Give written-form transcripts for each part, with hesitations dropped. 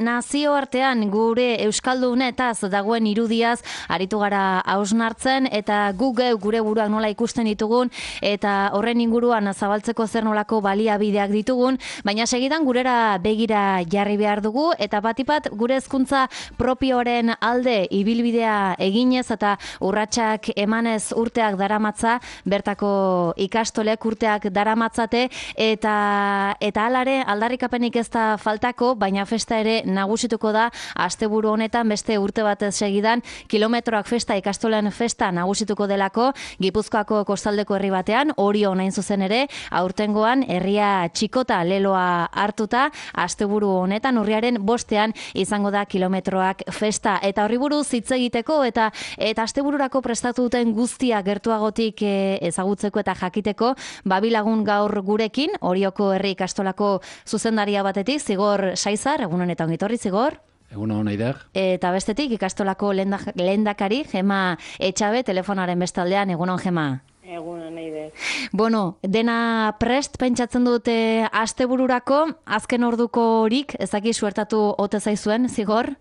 nazioartean gure euskaldunetaz dagoen irudiaz aritu gara hausnartzen eta gure buruak nola ikusten ditugun eta horren inguruan zabaltzeko zer nolako baliabideak ditugun, baina segidan gurera begira jarri behar dugu eta batipat gure hezkuntza propioaren alde ibilbidea eginez eta urratsak emanez urteak daramatza, bertako ikastolek urteak daramatzate eta alare aldarrikapenik ez da faltako, baina festa ere nagusituko da asteburu honetan beste urte batez segidan kilometroak festa ikastolen festa nagusituko delako Gipuzkoako kostaldeko herri batean, Orio nain zuzen ere, aurtengoan herria txikota leloa hartuta asteburu honetan urriaren 5ean izango da kilometroak festa eta horri buruz hitz egiteko eta astebururako prestatu duten guztia gertuagotik ezagutzeko eta jakiteko babilagun gaur gurekin Orioko herri ikastolako zuzendaria batetik Zigor Saizar, egunon eta ongitorri Zigor. Egunon, Aider. Eta bestetik ikastolako lehendakari Gema Etxabe telefonaren bestaldean, egunon Gema. Egunon, Aider. Bueno, dena prest pentsatzen dute astebururako, azken orduko horik, ezaki suertatu ote zaizuen, Zigor?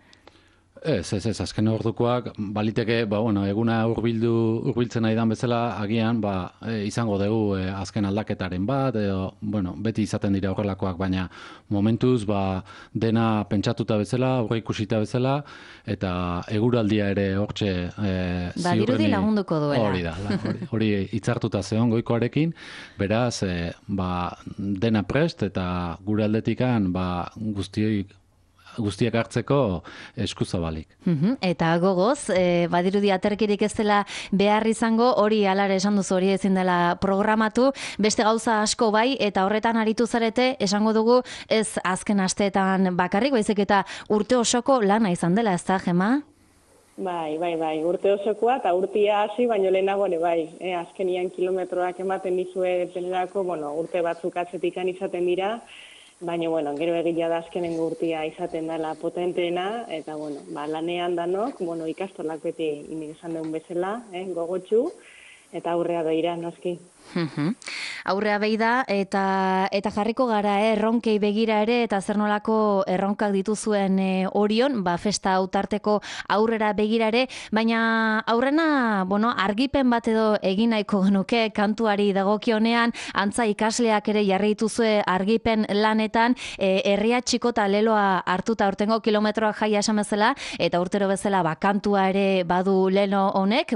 Ez, azken ordukoak baliteke, eguna hurbiltzen nahi dan bezala, agian, izango dugu azken aldaketaren bat, edo, beti izaten dira horrelakoak, baina momentuz, dena pentsatuta bezala, aurre ikusita bezala, eta eguraldia ere hortxe ziurreni. Dirudi lagunduko duela. Hori da, hori hitzartuta zeon goikoarekin, beraz, dena prest, eta gure aldetikan, guztiak hartzeko eskuzabalik. Eta gogoz, badirudi aterkirik ez dela behar izango, hori alare esan duzu hori ezin dela programatu, beste gauza asko bai, eta horretan aritu zarete, esango dugu ez azken asteetan bakarrik, baizik eta urte osoko lana izan dela, ez da, Gema? Bai, urte osokoa eta urtia hasi, baino lehenago ere bai. Azkenian kilometroak ematen dizue denerako, urte batzuk atzetikan izaten dira, baina, gero egia da azkenengo urtia izaten dela potenteena, eta, lanean danok, ikastolak beti esan duen bezala, gogotsu, eta aurrea begira, noski. Aurrea beida eta jarriko gara erronkei begira ere eta zer nolako erronkak dituzuen Orion, festa autarteko aurrera begira ere, baina aurrena, argipen bat edo egin nahiko genuke kantuari dagokionean, antza ikasleak ere jarri dituzue argipen lanetan, herria txikota leloa hartuta urtengo kilometroak jaia esan bezala, eta urtero bezala kantua ere badu lelo honek,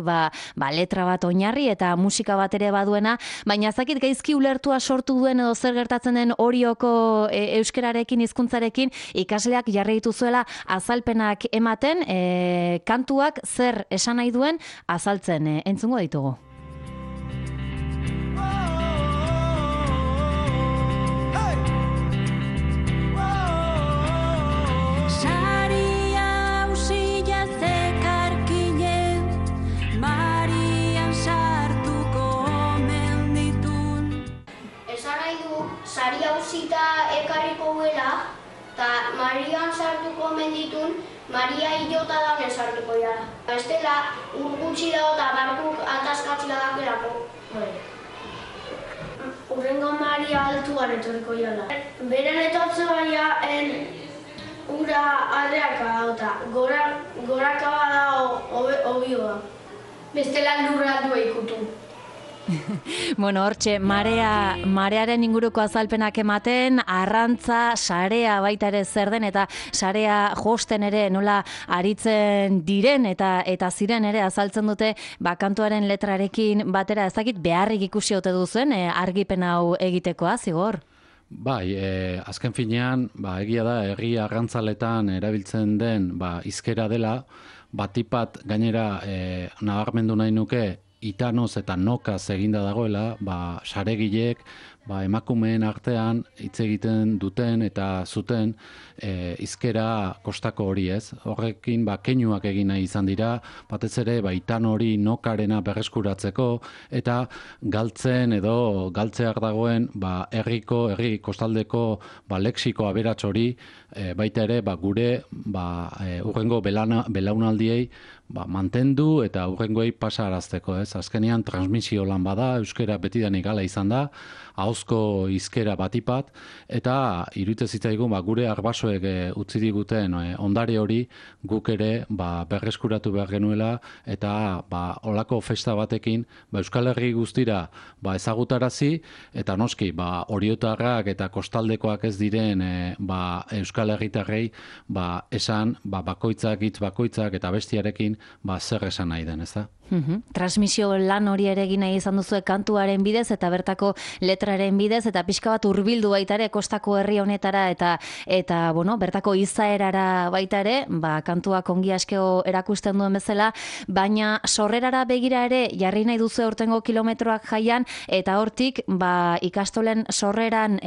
letra bat oinarri eta musika bat ere baduena, baina zakit gaizki ulertua sortu duen edo zer gertatzen den Orioko euskerarekin, hizkuntzarekin ikasleak jarri dituzuela azalpenak ematen, kantuak zer esan nahi duen azaltzen, entzungo ditugu. Sari hausita ekarriko guela, eta Marian sartuko menditun, Maria hilota daune sartuko jara. Estela, urgutxi dago eta barkuk ataskatzila dakelako. Urrengo Maria altuan etorriko jala. Beren etortze baina, ura adreaka dauta, goraka bada obioa. Bestela lurra aldua ikutu. Hortxe, marearen inguruko azalpenak ematen, arrantza, sarea baita ere zer den, eta sarea josten ere nola aritzen diren, eta ziren ere azaltzen dute, kantuaren letrarekin batera ezakit beharrik ikusi ote duzen, argipen hau egitekoa, Zigor? Bai, azken finean, egia da, herri arrantzaletan erabiltzen den, hizkera dela, batipat gainera nabarmendu nahi nuke, itanoz eta nokaz eginda dagoela, saregilek, emakumeen artean hitz egiten duten eta zuten hizkera kostako hori ez. Horrekin keinuak egin nahi izan dira, batez ere itan hori nokarena berreskuratzeko eta galtzen edo galtzeak dagoen herri kostaldeko lexiko aberats hori baita ere gure urrengo belaunaldiei mantendu eta urrengoei pasarazteko, ez? Azkenean transmisio lan bada, euskera betidanik hala izan da, ahozko hizkera batipat, eta iruditzen zitzaigun gure arbasoek utzi diguten ondare hori guk ere berreskuratu behar genuela, eta olako festa batekin Euskal Herri guztira ezagutarazi, eta noski oriotarrak eta kostaldekoak ez diren Euskal Herritarrei esan bakoitzak, hitz bakoitzak eta bestiarekin zer esan nahi den, ez da? Transmisio lan hori ere egin nahi izan duzu kantuaren bidez eta bertako letraren bidez eta pixka bat hurbildu baita ere kostako herri honetara eta bertako izaerara baita ere, kantuak ongi askeo erakusten duen bezala, baina sorrerara begira ere jarri nahi duzu aurtengo kilometroak jaian eta hortik ikastolen sorreran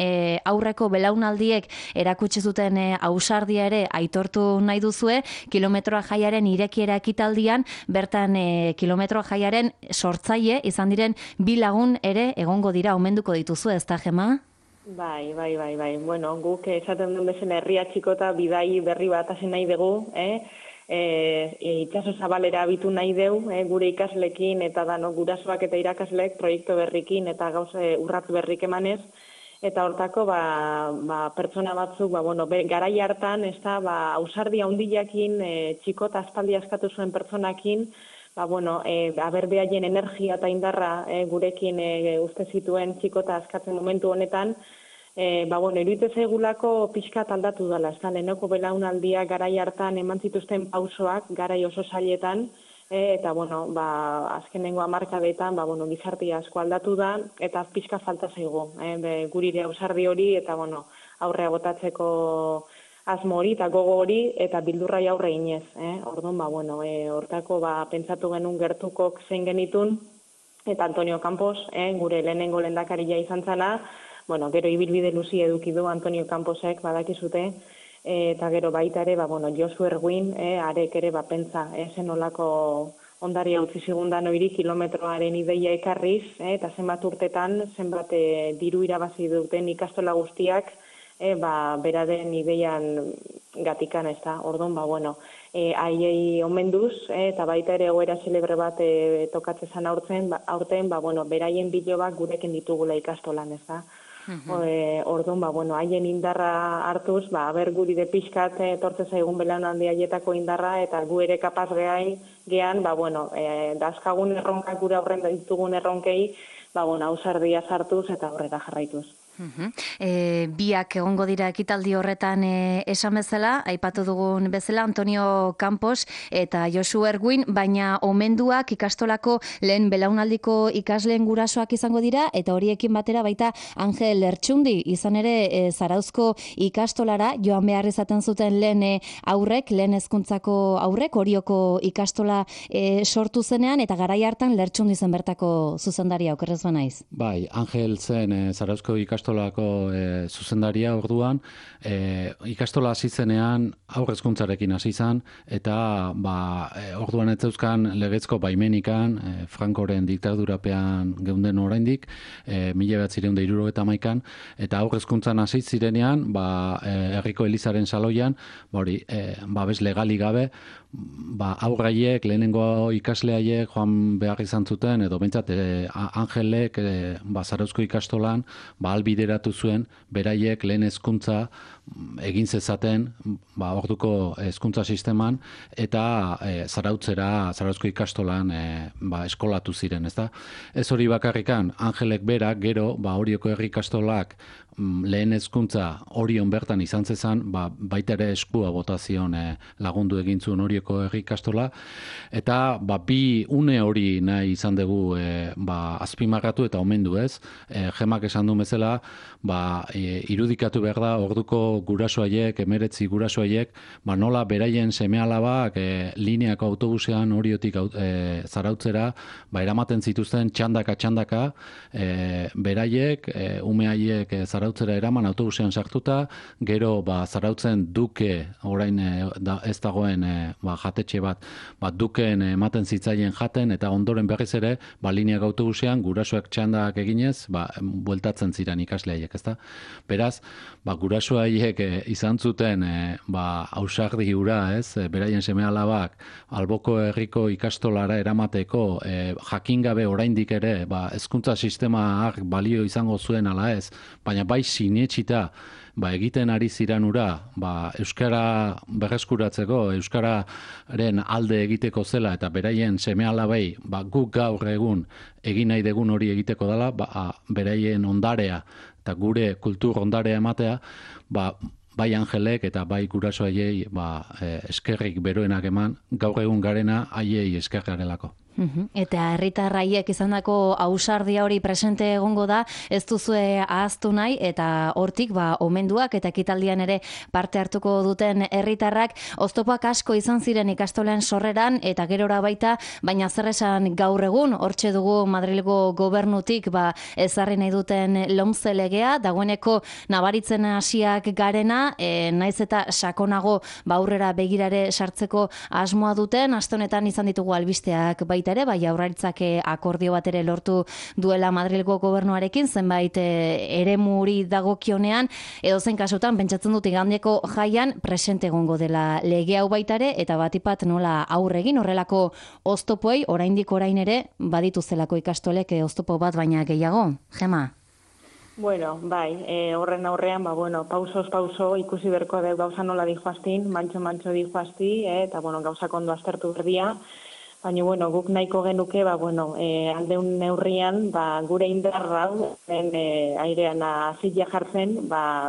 aurreko belaunaldiek erakutsi zuten ausardia ere aitortu nahi duzue, kilometroak jaiaren irekiera ekitaldian, bertan kilometro jaiaren sortzaile izan diren 2 lagun ere egongo dira, omenduko dituzu, ez da, Gema? Bai. Bueno, guk esaten duen bezala herria txikota bidai berri bat hasi nahi dugu, itsaso zabalera abitu nahi dugu, gure ikaslekin eta gurasoak eta irakaslek proiektu berrikin eta gauze urratz berrik emanez, eta hortako pertsona batzuk garai hartan ausardia handiakin txikota aspaldi askatu zuen pertsonakin behaien energia eta indarra gurekin uste zituen txikota askatzen momentu honetan, iruditzen zaigulako pixkat aldatu dela, ez da, lehenoko belaunaldia garai hartan eman zituzten pausoak, garai oso zailetan, eta azkenengo hamarkadetan gizartea asko aldatu da, eta pixka falta zaigu, gurire ausardi hori, eta aurrea botatzeko asmo hori eta gogo hori eta bildurrai aurre inez. Orduan, hortako pentsatu genuen gertukok zein genitun, eta Antonio Campos, gure lehenengo lehendakaria izan zana, gero ibilbide luzi eduki du Antonio Camposek badakizute, eta gero baita ere, Josu Erguin, arek ere pentsa, zen olako ondaria utzi zigundan hori kilometroaren ideia ekarriz, eta zenbat urtetan, zenbat diru irabazi duten ikastola guztiak, beraren ideian gatikan, ez da. Orduan, haiei omenduz, eta baita ere egoera zelebre bat tokatzen zan aurten, beraien bilobak gurekin ditugula ikastolan, ez da. Orduan, haien indarra hartuz, guri de pixkat tortze zaigun belaunaldi haietako indarra, eta gu ere kapaz gean, dazkagun erronkak gure aurren ditugun erronkei, ausardia sartuz eta aurrera jarraituz. Biak egongo dira ekitaldi horretan esan bezala, aipatu dugun bezala Antonio Campos eta Josu Erguin, baina omenduak ikastolako lehen belaunaldiko ikasleen gurasoak izango dira, eta horiekin batera baita Angel Lertxundi, izan ere Zarauzko ikastolara joan behar izaten zuten lehen aurrek, lehen hezkuntzako aurrek, Orioko ikastola sortu zenean, eta garai hartan Lertxundi zen bertako zuzendaria, okerrez banaiz. Bai, Angel zen Zarauzko ikastolako zuzendaria orduan, ikastola hasi zenean aurrezkuntzarekin hasi zen, eta orduan ez zeuzkan legezko baimenikan, Frankoren diktadurapean geunden oraindik, 1971an, eta aurrezkuntzan hasi zirenean, herriko Elizaren saloian, babes legali gabe, aurraiek, lehenengo ikasleaiek joan behar izan zuten, edo bentsat Angelek Zarauzko ikastolan albideratu zuen beraiek lehen hezkuntza egin zezaten orduko hezkuntza sisteman, eta Zarauzko ikastolan eskolatu ziren, ezta? Ez hori bakarrikan, Angelek berak gero Orioko herri ikastolak lehen hezkuntza Orion bertan izan zezan, baita ere eskua botazion lagundu egin zuen Orioko herri ikastola, eta bi une hori nahi izan dugu azpimarratu eta omendu, ez? Gemak esan du bezala, irudikatu behar da orduko gurasoaiek, 19 gurasoaiek, nola beraien seme-alabak lineako autobusean Oriotik Zarautzera eramaten zituzten txandaka, beraiek, umehaiek Zarautzera eraman autobusean sartuta, gero Zarautzen Duke, orain ez dagoen jatetxe bat, Dukeen ematen zitzaien jaten, eta ondoren berriz ere, lineako autobusean gurasoak txandak eginez, bueltatzen ziren ikasleaiek, ezta? Beraz, gurasoaiek haiek izan zuten ausardi hura, ez, beraien seme-alabak alboko herriko ikastolara eramateko jakin gabe oraindik ere hezkuntza sistemaak balio izango zuen ala ez, baina bai sinetsita egiten ari ziran ura, euskara berreskuratzeko, euskararen alde egiteko zela eta beraien seme-alabei guk gaur egun egin nahi degun hori egiteko dela, beraien ondarea eta gure kultur ondarea ematea, bai Angelek eta bai gurasoaiei eskerrik beroenak eman, gaur egun garena haiei esker garelako. Eta herritarraiek izandako ausardia hori presente egongo da, ez duzue ahaztu nahi, eta hortik omenduak eta ekitaldian ere parte hartuko duten herritarrak oztopoak asko izan ziren ikastolen sorreran eta gerora baita, baina zer esan gaur egun, hortxe dugu Madrilgo gobernutik ezarri nahi duten LOMCE legea, dagoeneko nabaritzen hasiak garena, naiz eta sakonago aurrera begirare sartzeko asmoa duten, aste honetan izan ditugu albisteak baita ere, Jaurlaritzak akordio bat ere lortu duela Madrilgo gobernuarekin, zenbait eremuri dagokionean, edozein kasutan pentsatzen dut igandeko jaian presente egongo dela lege hau baita ere, eta batipat nola aurre egin horrelako oztopoei, oraindik orain ere badituzelako ikastolek oztopo bat baina gehiago, Gema? Bueno, bai, horren aurrean, pausoz pauso ikusi berko da gauza nola dijoaztin, mantxo dijoazti, eta gauzak ondo aztertu berdia. Baina, guk nahiko genuke, aldeun neurrian, gure indarra airean azila jartzen,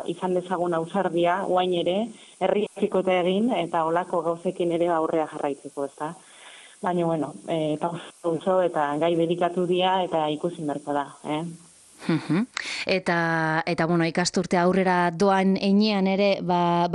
izan dezagun ausardia, guain ere, herriakikote egin, eta olako gauzekin ere aurrea jarraitzeko, ezta. Baina, pauso eta gai dedikatu dia, eta ikusi berko da, Eta ikasturte aurrera doan enean ere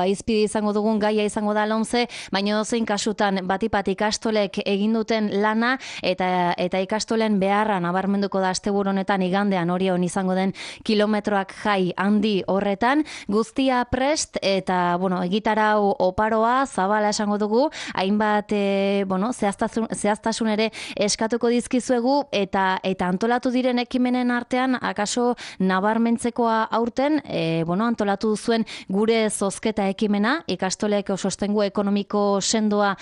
izpide izango dugun gaia izango da LOMCE, baina zein kasutan batipat ikastolek egin duten lana eta ikastolen beharra nabarmenduko da asteburu honetan igandean Orion izango den kilometroak jai handi horretan, guztia prest eta egitarau oparoa zabala esango dugu, hainbat zehaztasun ere eskatuko dizkizuegu eta antolatu diren ekimenen artean akaso nabarmentzekoa aurten, antolatu zuen gure zozketa ekimena, ikastolek sostengu ekonomiko sendoa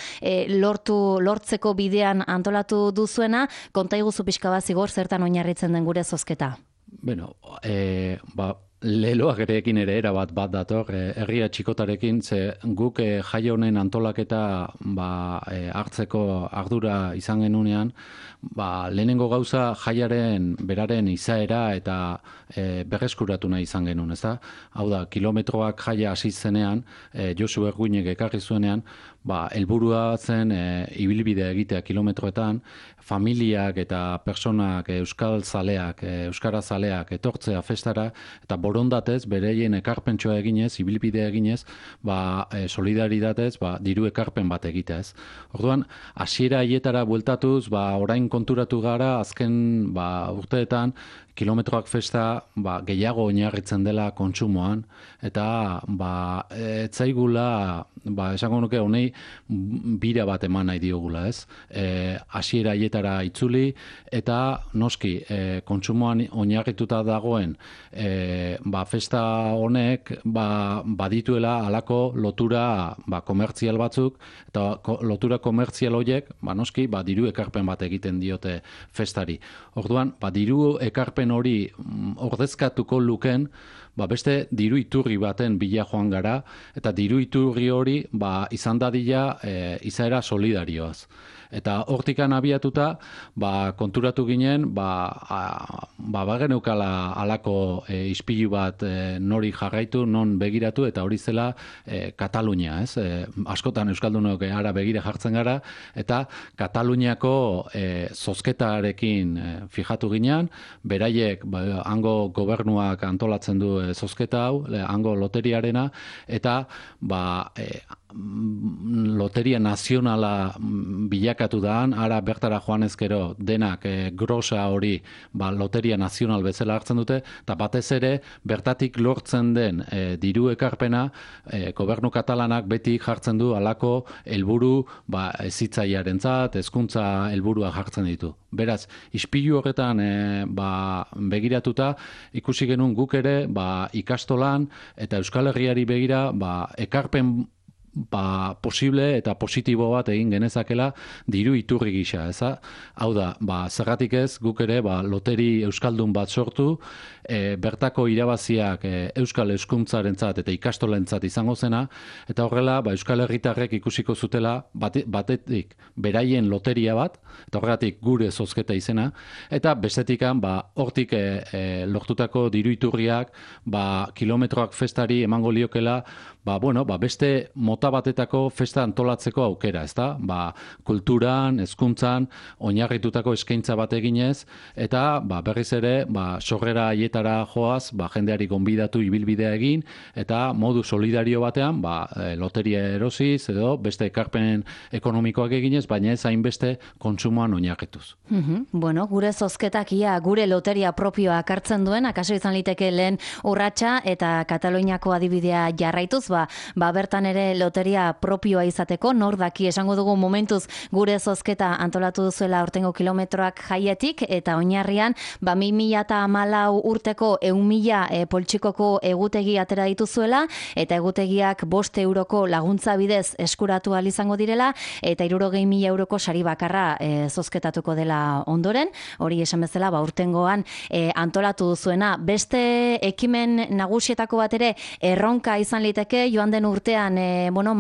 lortzeko bidean antolatu duzuena, konta iguzu pixka bat zigor zertan oinarritzen den gure zozketa? Leloak erekin ere erabat bat dator, herria txikotarekin, ze guk jai honen antolaketa hartzeko ardura izan genunean, lehenengo gauza jaiaren beraren izaera eta berreskuratu nahi izan genuen, ez da? Hau da, kilometroak jaia hasi zenean, Josu Erguinek ekarri zuenean, helburua zen ibilbidea egitea kilometroetan, familiak eta personak euskara zaleak etortzea festara, eta borondatez, bereien ekarpentsua eginez, ibilbidea eginez, solidaritatez, diru ekarpen bat egiteaz. Orduan, hasiera haietara bueltatuz, orain konturatu gara, azken urteetan, kilometroak festa gehiago oinarritzen dela kontsumoan, eta etzaigula, esango nuke honei bira bat eman nahi diogula, ez? Hasiera haietara itzuli, eta noski kontsumoan oinarrituta dagoen festa honek badituela halako lotura komertzial batzuk, eta lotura komertzial horiek, noski, diru ekarpen bat egiten diote festari. Orduan, diru ekarpen hori ordezkatuko luken, beste diru iturri baten bila joan gara, eta diru iturri hori izan dadila izaera solidarioaz. Eta hortikan abiatuta, konturatu ginen, bageneukala halako ispilu bat nori jarraitu, non begiratu, eta hori zela Katalunia, ez? Askotan Euskaldunok ara begira jartzen gara, eta Kataluniako zozketarekin fijatu ginen, beraiek hango gobernuak antolatzen du zozketa hau, hango loteriarena, eta loteria nazionala bilakatu daan, ara bertara joan ezkero denak grosa hori loteria nazional bezala hartzen dute, eta batez ere bertatik lortzen den diru ekarpena gobernu katalanak beti jartzen du halako helburu hezitzailearentzat, hezkuntza helburua jartzen ditu. Beraz, ispilu horretan begiratuta ikusi genuen guk ere ikastolan eta Euskal Herriari begira ekarpen posible eta positibo bat egin genezakela diru iturri gisa, eza? Hau da, zergatik ez guk ere loteri euskaldun bat sortu, bertako irabaziak euskal euskuntzarentzat eta ikastolentzat izango zena, eta horrela Euskal Herritarrek ikusiko zutela batetik beraien loteria bat, eta horregatik gure zozketa izena, eta bestetikan hortik lortutako diru iturriak kilometroak festari emango liokela beste mota batetako festa antolatzeko aukera, ezta? Kulturan, hezkuntzan, oinarritutako eskaintza bat eginez, eta berriz ere, sorrera haietara joaz, jendeari gonbidatu ibilbidea egin, eta modu solidario batean, loteria erosiz, edo beste ekarpen ekonomikoak eginez, baina ez hainbeste kontsumoan oinarrituz. Bueno, gure zozketak gure loteria propioa hartzen duen, akaso izan liteke lehen urratsa eta Kataluniako adibidea jarraituz, bertan ere loteria propioa izateko, nor daki esango dugu momentuz gure zozketa antolatu duzuela aurtengo kilometroak jaietik, eta oinarrian 2014 urteko 100.000 poltsikoko egutegi atera dituzuela, eta egutegiak 5 euroko laguntza bidez eskuratu ahal izango direla, eta 60.000 euroko sari bakarra zozketatuko dela ondoren, hori esan bezala urtengoan antolatu duzuena. Beste ekimen nagusietako bat ere erronka izan liteke, joan den urtean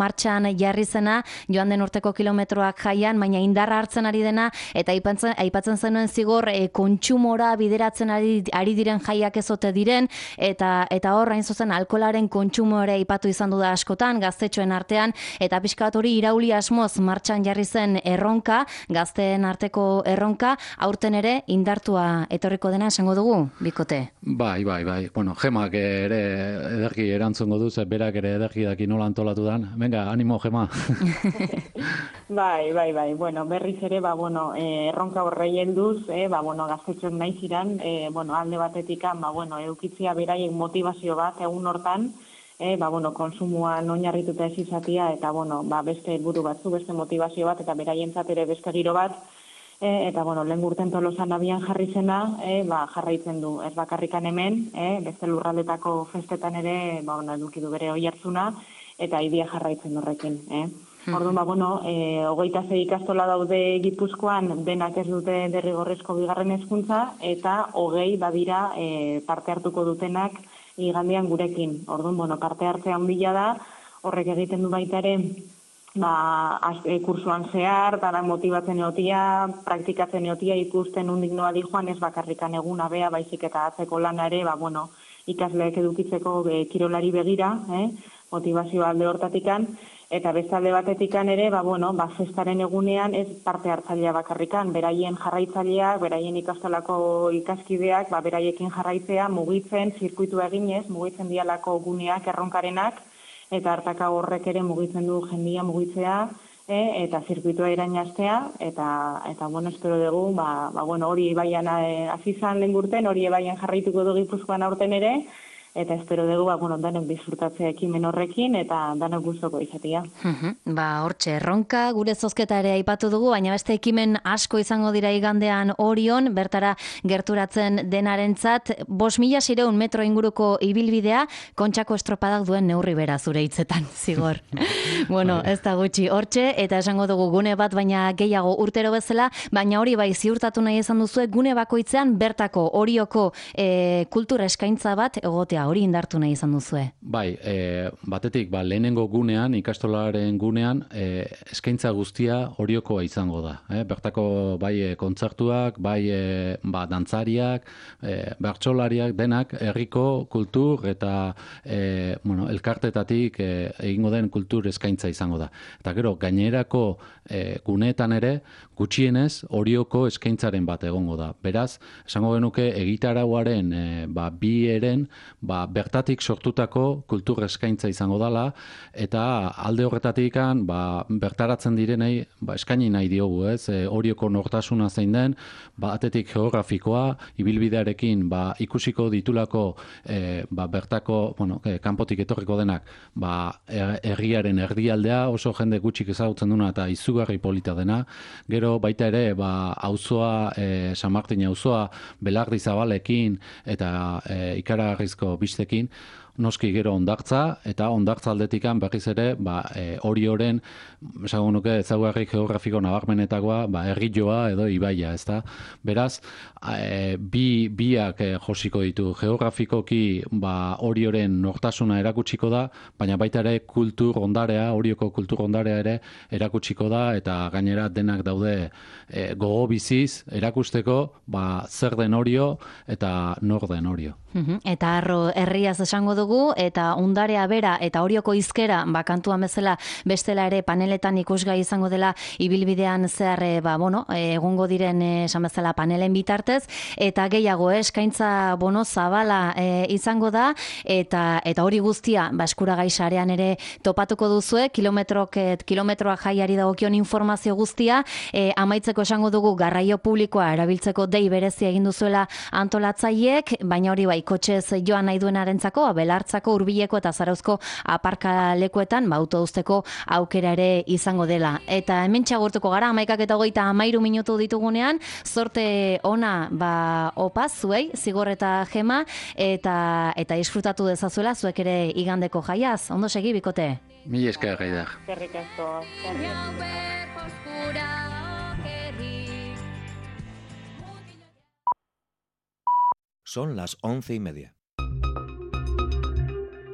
martxan jarri zena, joan den urteko kilometroak jaian, baina indarra hartzen ari dena, eta aipatzen zenuen zigor kontsumora bideratzen ari diren jaiak ezote diren, eta hor hain zuzen alkoholaren kontsumo ere aipatu izan du da askotan, gaztetxoen artean, eta pixka bat hori irauli asmoz martxan jarri zen erronka, gazteen arteko erronka, aurten ere indartua etorriko dena esango dugu, Bikote? Bai. Bueno, Gemak ere ederki erantzungo du, berak ere ederki daki nola antolatu dan. Venga, animo, Gema. Bai. Bueno, berriz ere, erronka horrei helduz, gaztetxoek nahi ziren, alde batetikan, eukitzia beraien motivazio bat egun hortan, konsumoan oinarrituta ez izatia, eta, beste helburu batzu, beste motivazio bat, eta beraientzat ere beste giro bat, eta, lehen urten Tolosan abian jarri zena, jarraitzen du, ez bakarrikan hemen, beste lurraldetako festetan ere, eduki du bere oihartzuna, eta idia jarraitzen horrekin, Orduan, 26 ikastola daude Gipuzkoan, denak ez dute derrigorrezko bigarren hezkuntza, eta 20 badira parte hartuko dutenak igandean gurekin. Orduan, parte hartzea handia da, horrek egiten du baita ere, kursuan zehar, dara motibatzen egotia, praktikatzen egotia, ikusten undik noa di joan, ez bakarrikan eguna bea, baizik eta atzeko lana ere, ikasleek edukitzeko kirolari begira, motivazio alde hortatikan, eta bestalde batetikan ere, festaren egunean ez parte hartzailea bakarrikan, beraien jarraitzaileak, beraien ikastolako ikaskideak, beraiekin jarraitzea, mugitzen, zirkuitu eginez, mugitzen dialako guneak, erronkarenak, eta hartaka horrek ere mugitzen du jendia mugitzea, eta zirkuitua irainaztea, eta espero dugu, hori baian azizan lehen urten, hori baian jarraituko du Gipuzkoan aurten ere, eta espero dugu, danok disfrutatzea ekimen horrekin, eta danok gustoko izatea. Hortxe, erronka, gure zozketa ere aipatu dugu, baina beste ekimen asko izango dira igandean Orion, bertara gerturatzen denarentzat, 5.600 metro inguruko ibilbidea, Kontxako estropadak duen neurri bera zure hitzetan, zigor. Ez da gutxi, hortxe, eta esango dugu gune bat, baina gehiago urtero bezala, baina hori bai ziurtatu nahi izan duzue, gune bakoitzean bertako Orioko kultura eskaintza bat egotea, hori indartu nahi izan duzue. Bai, batetik, lehenengo gunean, ikastolaren gunean, eskaintza guztia Oriokoa izango da. Bertako bai kontzertuak, bai dantzariak, bertsolariak, denak, herriko kultur eta elkartetatik egingo den kultur eskaintza izango da. Eta gero, gainerako guneetan ere, gutxienez Orioko eskaintzaren bat egongo da. Beraz, esango genuke egitarauaren bi eren bertatik sortutako kultur eskaintza izango dela, eta alde horretatikan bertaratzen direnei eskaini nahi diogu, ez? Orioko nortasuna zein den, batetik geografikoa, ibilbidearekin ikusiko ditulako bertako, kanpotik etorriko denak, herriaren erdialdea, oso jende gutxik ezagutzen duna eta izugarri polita dena. Gero baita ere, auzoa, San Martin auzoa, Belardi Zabalekin eta ikaragarrizko bistekin, noski gero hondartza, eta hondartza aldetikan berriz ere, Orioren, esango nuke, ezaugarri geografiko nabarmenetakoa, herrioa edo ibaia, ezta? Beraz, biak josiko ditu. Geografikoki, Orioren nortasuna erakutsiko da, baina baita ere kultur ondarea, Orioko kultur ondarea ere erakutsiko da, eta gainera denak daude gogo biziz erakusteko, zer den Orio eta nor den Orio. Eta arro herriaz esango dugu, eta ondarea bera eta Orioko hizkera kantuan bezala bestela ere paneletan ikusgai izango dela ibilbidean zehar egongo diren esan bezala panelen bitartez, eta gehiago eskaintza zabala izango da, eta hori guztia eskuragai sarean ere topatuko duzue, kilometroa jaiari dagokion informazio guztia, amaitzeko esango dugu garraio publikoa erabiltzeko dei berezia egin duzuela antolatzaileek, baina hori kotxez joan nahi duenarentzako, Belartzako, Hurbileko eta Zarauzko aparkalekuetan autouzteko aukera ere izango dela. Eta hemen txagurtuko gara, 11:23 minutu ditugunean, zorte ona opaz zuei, Zigor eta Gema, eta disfrutatu dezazuela zuek ere igandeko jaiaz. Ondo segi, bikote? Mila esker, Gaidar. Eskerrik asko. Son las 11:30.